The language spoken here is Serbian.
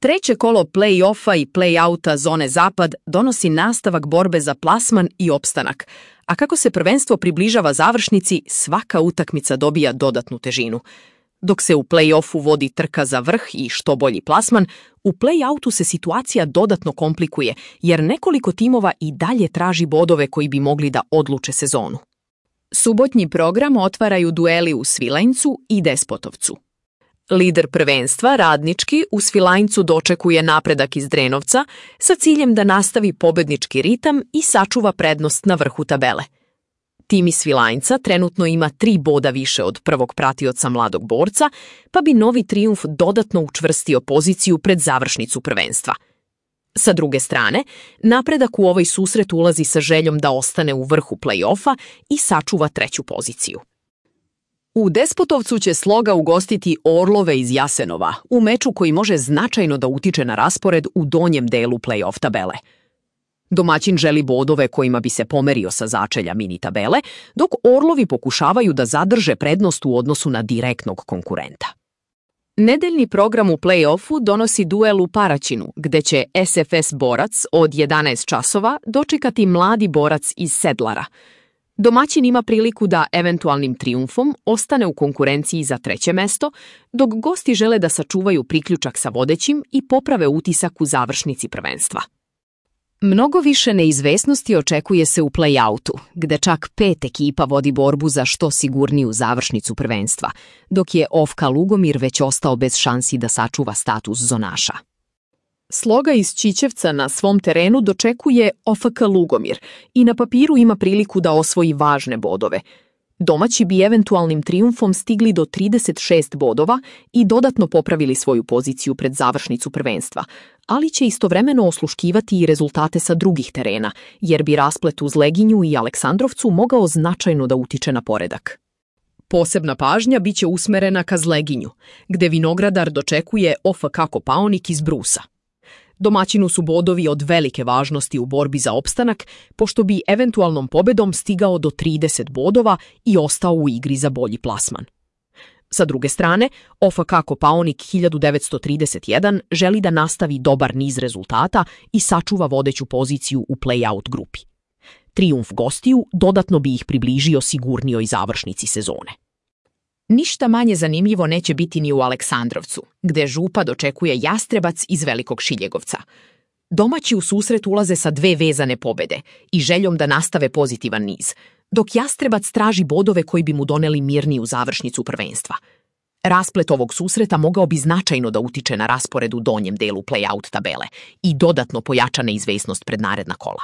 Treće kolo play-offa i play-outa zone Zapad donosi nastavak borbe za plasman i opstanak, a kako se prvenstvo približava završnici, svaka utakmica dobija dodatnu težinu. Dok se u play-offu vodi trka za vrh i što bolji plasman, u play-outu se situacija dodatno komplikuje, jer nekoliko timova i dalje traži bodove koji bi mogli da odluče sezonu. Subotnji program otvaraju dueli u Svilajncu i Despotovcu. Lider prvenstva, Radnički, u Svilajncu dočekuje napredak iz Drenovca sa ciljem da nastavi pobednički ritam i sačuva prednost na vrhu tabele. Tim iz Svilajnca trenutno ima 3 boda više od prvog pratioca Mladog Borca, pa bi novi trijumf dodatno učvrstio poziciju pred završnicu prvenstva. Sa druge strane, napredak u ovaj susret ulazi sa željom da ostane u vrhu play-offa i sačuva 3. poziciju. U Despotovcu će Sloga ugostiti Orlove iz Jasenova u meču koji može značajno da utiče na raspored u donjem delu play-off tabele. Domaćin želi bodove kojima bi se pomerio sa začelja mini tabele, dok Orlovi pokušavaju da zadrže prednost u odnosu na direktnog konkurenta. Nedeljni program u play-offu donosi duel u Paraćinu, gde će SFS Borac od 11 časova dočekati Mladi Borac iz Sedlara. Domaćin ima priliku da eventualnim trijumfom ostane u konkurenciji za 3. mesto, dok gosti žele da sačuvaju priključak sa vodećim i poprave utisak u završnici prvenstva. Mnogo više neizvesnosti očekuje se u play-outu, gde čak 5 ekipa vodi borbu za što sigurniju završnicu prvenstva, dok je OFK Lugomir već ostao bez šansi da sačuva status zonaša. Sloga iz Ćićevca na svom terenu dočekuje OFK Lugomir i na papiru ima priliku da osvoji važne bodove. Domaći bi eventualnim trijumfom stigli do 36 bodova i dodatno popravili svoju poziciju pred završnicu prvenstva, ali će istovremeno osluškivati i rezultate sa drugih terena, jer bi rasplet uz Leginju i Aleksandrovcu mogao značajno da utiče na poredak. Posebna pažnja biće usmerena ka Zleginju, gde Vinogradar dočekuje OFK Kopaonik iz Brusa. Domaćinu su bodovi od velike važnosti u borbi za opstanak, pošto bi eventualnom pobedom stigao do 30 bodova i ostao u igri za bolji plasman. Sa druge strane, OFK Kopaonik 1931 želi da nastavi dobar niz rezultata i sačuva vodeću poziciju u play-out grupi. Trijumf gostiju dodatno bi ih približio sigurnijoj završnici sezone. Ništa manje zanimljivo neće biti ni u Aleksandrovcu, gde Župa dočekuje Jastrebac iz Velikog Šiljegovca. Domaći u susret ulaze sa 2 vezane pobede i željom da nastave pozitivan niz, dok Jastrebac traži bodove koji bi mu doneli mirniju završnicu prvenstva. Rasplet ovog susreta mogao bi značajno da utiče na raspored u donjem delu play-out tabele i dodatno pojača neizvesnost pred naredna kola.